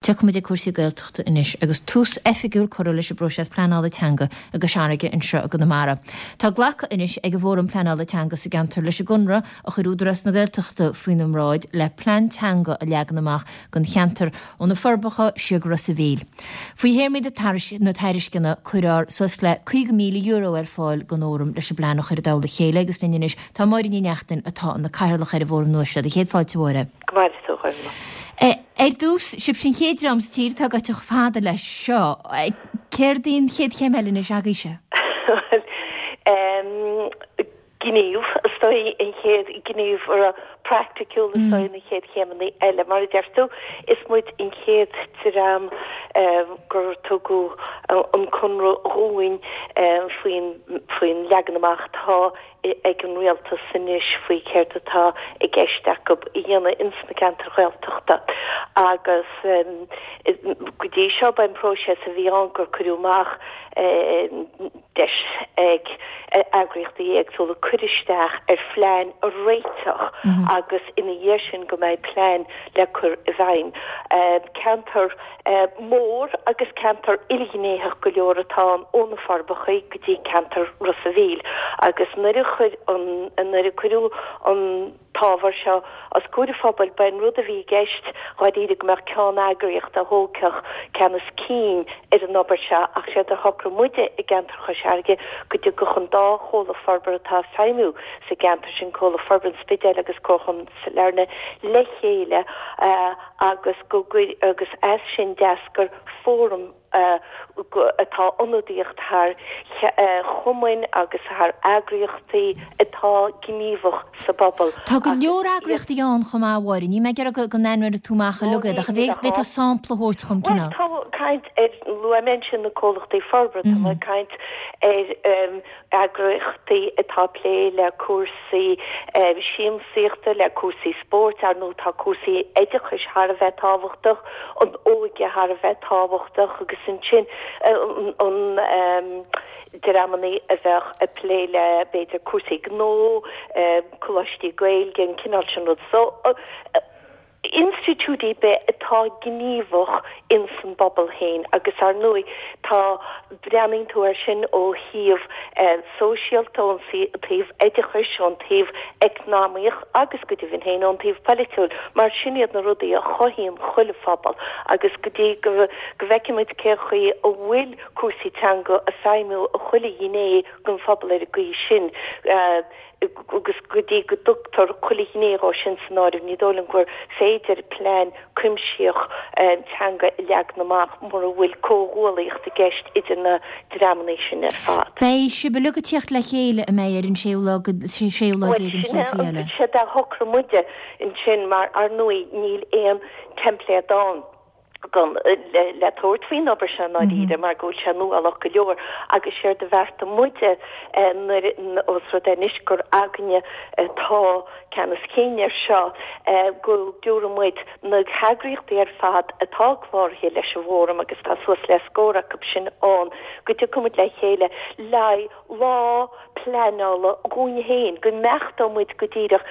Tiocfaidh muid ag cúrsaí Gaeltachta anois agus tús oifigiúil curtha leis an bpróiseas pleanála teanga i gCois Fharraige anseo i gConamara. Tá glactha anois ag an bhFóram Pleanála Teanga sa gceantar leis an gconradh a chuir Údarás na Gaeltachta faoina mbráid le plean teanga a leagan amach don cheantar ó na Forbacha siar go Ros a' Mhíl. Faoi théarmaí na tairisceana cuirfear suas le €50,000 ar fáil don Fhóram leis an bplean a chur i dtoll a chéile agus linn anois tá Máire Ní Neachtain atá ina cathaoirleach ar an bhFóram nua seo. Céad fáilte a Mháire. Go maire tú, a Ghormfhlaith. Ar dtús, sibhse an chéad dream sa tír atá gaibhte chomh fada leis seo. Céard í an chéad chéim eile anois agaibhse? Bhuel, gníomh, is dóigh, an chéad ghníomh praiticiúil, is dóigh, na chéad chéimeanna eile. Mar a deir tú, is muid an chéad dream gur tugadh an conradh dhúinn faoin leagan amach atá ag an rialtas anois faoi céard atá i gceist acu a dhéanamh ins na ceantair Ghaeltachta agus go dtí seo ba é an próiseas a bhí ann gur cuireadh amach deis ag eagraíochtaí éagsúla cur isteach ar phlean a réiteach agus ina dhiaidh sin go mbeidh plean le cur i bhfeidhm. Ceantar mór agus ceantar ilghnéitheach go leor atá ann ó na Forbacha go dtí ceantar Ros a' Mhíl agus nuair a chuir an nuair a cuireadh an t-ábhar seo os comhair an phobail ba é an rud a bhí i gceist dháiríre go mbeadh ceann-eagraíocht a thógfadh ceannas cinn ar an obair seo ach séard a shocraigh muide i gceantar Chois Fharraige go dtiocfadh an dá chomhlacht forbartha atá ag feidhmiú sa gceantar sin, Comhlacht Forbartha an Spidéil agus Comharchumann Sailearna le chéile agus go agus as sin d'eascair fóram atá ionadaíocht thar chumainn agus thar eagraíochtaí atá gníomhach sa bpobal Tá go leor eagraíochtaí ann chomh maith, a Mháire. Níl mé ag iarraidh go n-ainmneoidh tú amach uilig iad ach an bhféadfá sampla a thabhairt dhom, Bhuel, cineál? tá caint ar, luaigh mé ansin na comhlachtaí forbartha, tá mé ag caint ar eagraíochtaí atá ag plé le cúrsaí siamsaíochta, le cúrsaí spóirt, ar ndóigh tá cúrsaí oideachais thar a bheith tábhachtach, an óige thar a bheith tábhachtach agus ansin an dreamanna a bheadh ag plé le b'fhéidir cúrsaí gnó, coláistí Gaeilge, an cineál sin rud. So. institiúidí ar bith atá gníomhach ins an bpobal féin agus ar ndóigh tá, breathnaíonn tú air sin ó thaobh sóisialta, ón taobh oideachais, ón taobh eacnamaíoch agus go deimhin féin ón taobh polaitiúil mar sin iad na rudaí a chothaíonn chuile phobal agus go dtí go bhfeicfimid cén chaoi a bhfuil cúrsaí teanga ag feidhmiú i chuile ghné den phobal ar an gcaoi sin. agus go dtí go dtugtar chuile ghné dhó sin san áireamh, ní dóigh liom gur féidir plean cuimsitheach teanga a leagan amach mura bhfuil comhghuallaíocht i gceist idir na dreamanna sin ar fad. Beidh sibh uilig ag tíocht le chéile, an mbeidh, ar an séú lá go, séú lá déag den chéad mhí eile? Bhuel, sin é séard a shocraigh muide ansin mar, ar ndóigh, níl aon teimpléad ann. gan le tabhairt faoin obair seo i ndáiríre mar go bhfuil sé nuálach go leor agus séard a bheartaigh muide nuair os rud é anois gur againne atá ceannas cinn air seo go dtabharfaidh muid na heagraíochtaí ar fad atá cláraithe leis an bhFóram agus tá suas le scór acu sin ann go dtiocfaidh muid le chéile le lá pleanála dhúinn féin, go mbeachtóidh muid go díreach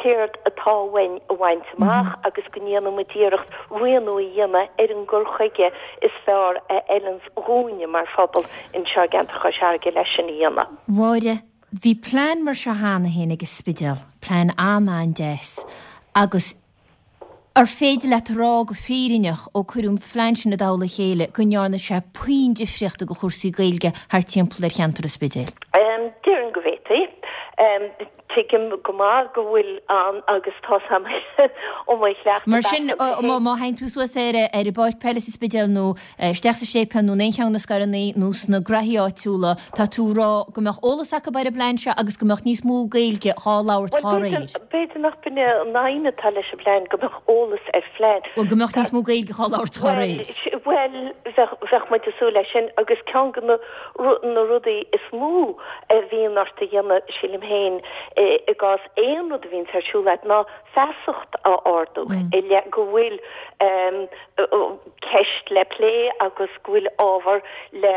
céard atá uainn a bhaint amach agus go ndéanfaidh muid iarracht rianú a dhéanamh ar an gcur chuige is fearr a fheileanns dhúinne mar phobal anseo i gceantar Chois Fharraige leis sin a dhéanamh. Mháire, Bhí plean mar seo cheana féin ag an Spidéal, plean an-an-deas agus Ar féidir leat a rá go fírinneach, ó cuireadh an phlean sin i dtoll a chéile, go ndearna sé puinn difríochta do chúrsaí Gaeilge thart timpeall ar cheantar an Spidéil? Déarfainn go bhféadfaí. Tuigim go maith go bhfuil an, agus tá's a'm ó mo chleachtadh Mar sin, má théann tú suas ar an bpáirc peile sa Spidéal nó isteach sa séipéal nó in aon cheann de na scaireanna nó sna graithí áitiúla, tá tú ag rá go mbeadh eolas acu ar an bplean seo agus go mbeadh níos mó Gaeilge dhá labhairt dhá réir. B'fhéidir nach b'in é an aidhm atá leis an bplean, go mbeadh eolas ar phlean. Bhuel, go mbeadh níos mó Gaeilge dhá labhairt dhá réir. Bhuel, bheadh muid ag súil leis sin agus ceann de na rudaí is mó a bhíonn ort a dhéanamh, sílim féin, i gcás aon rud a bhíonns ar siúl agat ná feasacht a ardú i leith go bhfuil. ceist le plé agus go bhfuil ábhar le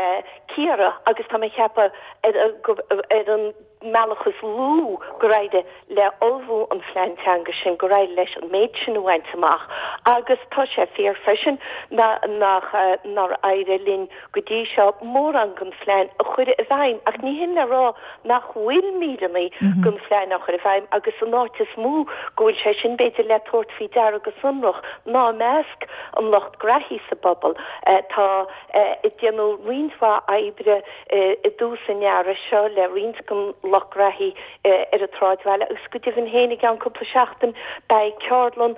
cíoradh agus tá mé ag ceapadh ar an mbealach is lú gur éirigh le ullmhú an phlean teanga sin, gur éirigh leis an méid sin a bhaint amach agus tá sé fíor freisin nach nár éirigh linn go dtí seo mórán den phlean a chur i bhfeidhm ach ní hin le rá nach bhfuil míreanna den phlean á chur i bhfeidhm agus an áit is mó go bhfuil sé sin b'fhéidir le tabhairt faoi deara go sonrach ná i measc an lucht graithí sa bpobal. Tá déanadh roinnt mhaith oibre i dtús an earraigh seo le roinnt den lucht graithí ar an tsráidbhaile agus go deimhin féin i gceann cúpla seachtain beidh ceardlann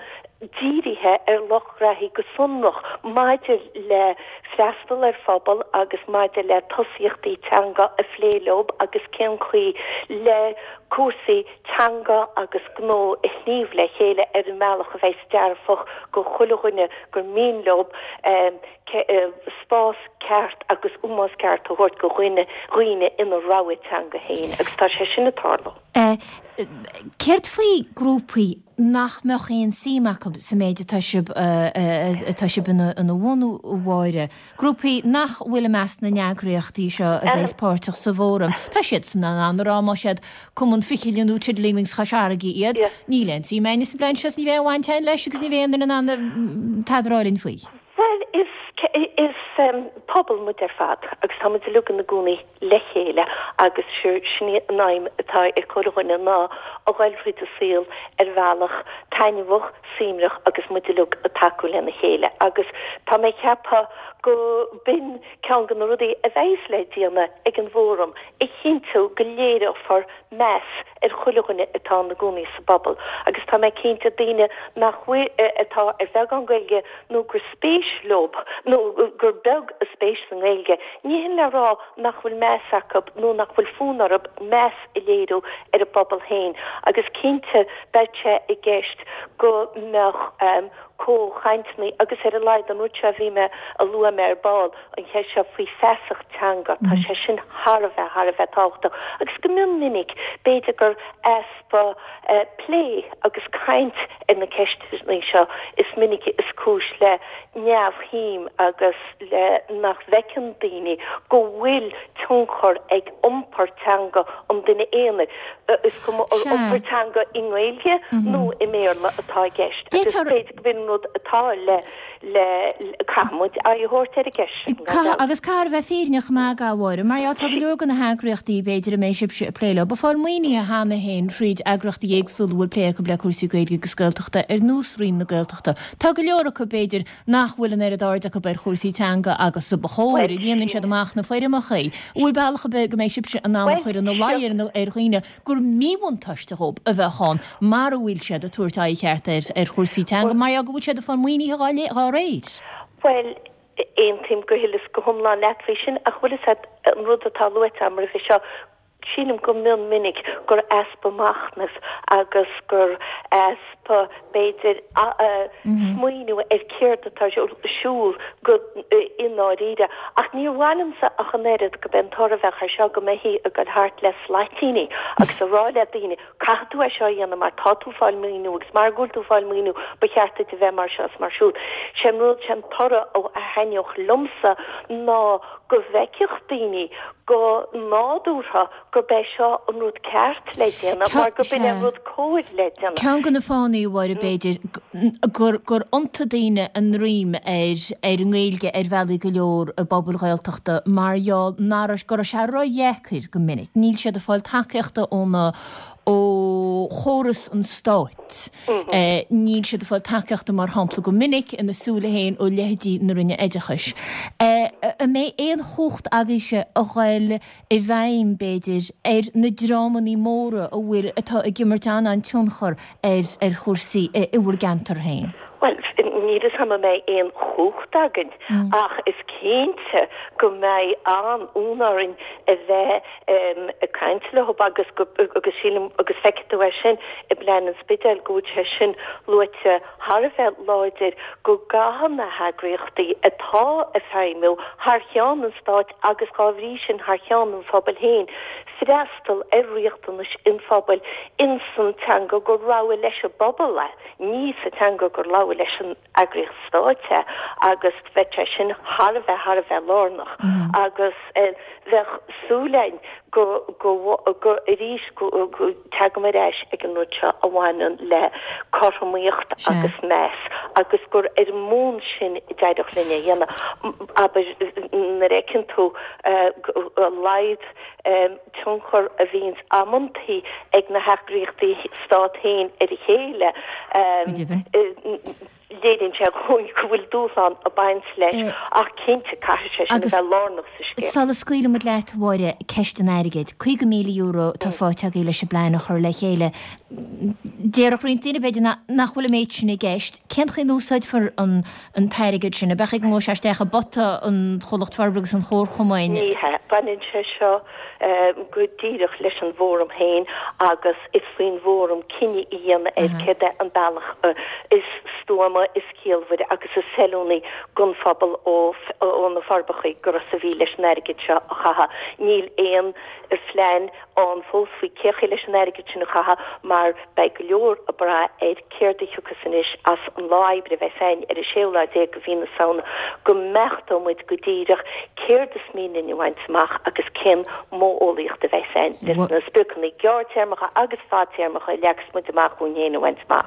dírithe ar lucht graithí go sonrach maidir le freastal ar phobal agus maidir le tosaíochtaí teanga a phlé leo agus cén chaoi le cúrsaí teanga agus gnó a shníomh le chéile ar an mbealach a bheas dearfach go chuile dhuine gur mian leo spás ceart agus ómós ceart a thabhairt go dhaoine ina rogha teanga féin agus tá sé sin ag tarlú. Céard faoi grúpaí nach mbeadh aon suim acu sa méid atá sibh atá sibh ina bhunú, a Mháire? Grúpaí nach bhfuil i measc na n-eagraíochtaí seo a bheas páirteach sa bhfóram. Tá siadsan in ann a rá más iad Cumann Fichille nó Tiddlywinks Chois Fharraige iad, níl aon suim againne sa bplean seo is ní bheidh aon bhaint againn leis agus ní bheidh aon duine in ann tada a rá linn faoi. Bhuel, is, is pobal muid ar fad agus tá muid uilig ina gcónaí le chéile agus sin í an aidhm atá ag chuile dhuine ná a ghoil thríd an saol ar bhealach taitneamhach, suaimhneach agus muid uilig ag tacú lena chéile agus tá mé ag ceapadh go b'in ceann de na rudaí a bheas le déanamh ag an bhfóram, a chinntiú go léireofar meas ar chuile dhuine atá ina gcónaí sa bpobal agus tá mé cinnte daoine nach bhfuil, atá ar bheagán Gaeilge nó gur spéis leo nó gur beag a spéis sa nGaeilge, ní hin le rá nach bhfuil meas acu nó nach bhfuil fonn orthu meas a léiriú ar a bpobal féin agus cinnte beidh sé i gceist go mbeadh comhchainteanna agus ar a laghad an rud seo a bhí mé a luaigh mé ar ball, an cheist seo faoi feasacht teanga, tá sé sin thar a bheith, thar a bheith tábhachtach agus go mion minic b'fhéidir gur easpa plé agus caint ar na ceisteanna seo is minice is cúis le neamhshuim agus le nach bhfeiceann daoine go bhfuil tionchar ag iompar teanga an duine aonair, is cuma an iompar teanga i nGaeilge nó i mBéarla atá i gceist agus b'fhéidir go b'in an rud atá le le caithfidh muid aghaidh a thabhairt ar an gceist sin, gan dabht. Agus caithfear a bheith fírinneach chomh maith, a Mháire, mar gheall tá go leor de na heagraíochtaí, b'fhéidir, a mbeidh sibhse ag plé leo, ag fáil maoinithe cheana féin thríd eagraíochtaí éagsúla a bhfuil plé acu le cúrsaí Gaeilge agus Gaeltachta, ar nós Roinn na Gaeltachta. Tá go leor acu, b'fhéidir, nach bhfuil an oiread aird acu ar chúrsaí teanga agus a ba chóir, líonann siad amach na foirmeacha. An bhfuil bealach ar bith go mbeidh sibhse in ann a chur ina luí ar dhaoine gur míbhuntáiste dhóibh a bheadh ann mara bhfuil siad ag tabhairt aghaidh cheart ar chúrsaí teanga mar gheall go bhfuil siad ag fáil maoinithe dhá réir. Bhuel, aontaím go huile is go hiomlán leat faoi sin ach bhfuil fhios a't, an rud atá luaite agam roimhe seo, sílim go mion minic gur easpa machnaimh agus gur easpa, b'fhéidir, smaoineamh ar céard atá ar siúl go i ndáiríre. Ach níor mhaith liomsa ach an oiread go b'é an toradh a bheadh air seo go mbeifí ag dul thart le slaitíní agus a rá le daoine caithfidh tú é seo a dhéanamh mar tá tú ag fáil maoiniú agus mar go bhfuil tú ag fáil maoiniú ba cheart duit a bheith mar seo is mar siúd. Sé an rud, sé an toradh a thaitneodh liomsa ná go bhfeicfeadh daoine go nádúrtha gurb é seo an rud ceart le déanamh mar gurb in é an rud cóir le déanamh. Ceann de na fáthanna, a Mháire, b'fhéidir, gur gur iontaigh daoine a ndroim ar ar an nGaeilge ar bhealaí go leor i bpobail Ghaeltachta mar gheall nach raibh, go raibh sé ródheacair go minic. Níl siad ag fáil tacaíochta óna ó chóras an stáit. Níl siad ag fáil tacaíochta, mar shampla, go minic ina súile féin ó leithéidí na Roinne Oideachais. An mbeidh aon chumhacht agaibhse a ghoil i bhfeidhm, b'fhéidir, ar na dreamannaí móra a bhfuil, atá ag imirt an-an-tionchar ar, ar chúrsaí i bhur gceantar féin? Bhuel, níl fhios a'm an mbeidh aon chumhacht againn ach is cinnte go mbeidh an-fhonn orainn a bheith ag caint leo agus go, agus sílim, agus feicfidh tú é sin i bplean an Spidéil go bhfuil sé sin luaite thar a bheith láidir go gcaithfidh na heagraíochtaí atá. athá ag feidhmiú thar cheann an Stáit agus dhá bhrí sin thar cheann an phobail féin, freastal ar riachtanais an phobail ins an teanga gur rogha leis an bpobal é, ní sa teanga gur rogha leis an eagraíocht stáit é agus bheadh sé sin thar a bheith, thar a bheith lárnach agus bheadh súil againn go, go, go, arís go, go, teagaim ar ais ag an rud seo a bhaineann le cothromaíocht agus meas agus gur ar an mbonn sin a d'éireodh linn é a dhéanamh. Abair, nuair a fheiceann tú a laghad tionchar a bhíonns amantaí ag na heagraíochtaí stát féin ar a chéile, léiríonn sé dhúinn go bhfuil dúshlán ag baint leis ach cinnte caithfidh sé sin a bheith lárnach sa scéal. Sula scaoilfidh muid leat, a Mháire, ceist an airgid. €50,000 atá faighte agaibh leis an bplean a chur le chéile. Déarfadh roinnt daoine, b'fhéidir, nach bhfuil an méid sin i gceist. Cén chaoi a n-úsáidfear an an t-airgead sin, ab ea go ngabhfaidh sé isteach i bpota an Chomhlacht Forbartha agus an Chomharchumainn? Ní hea. Baineann sé seo go díreach leis an bhFóram féin agus is faoin bhFóram cinneadh a dhéanamh ar céard é an bealach is stuama, is ciallmhaire agus is feiliúnaí don phobal ó na Forbacha go Ros a' Mhíl leis an airgead seo a chaitheamh. Níl aon phlean ann fós faoi cé chaoi leis an airgead sin a chaitheamh mar beidh go leor ag brath ar céard a thiocfas anois as an lá oibre a bheas againn ar an séú lá déag de mhí na Samhna go mbeachtóidh muid go díreach céard is mian linn a bhaint amach agus cén modheolaíocht a bheas againn leis na spriocanna gearrtéarmacha agus fadtéarmacha a leagas muid amach dhúinn féin a bhaint amach.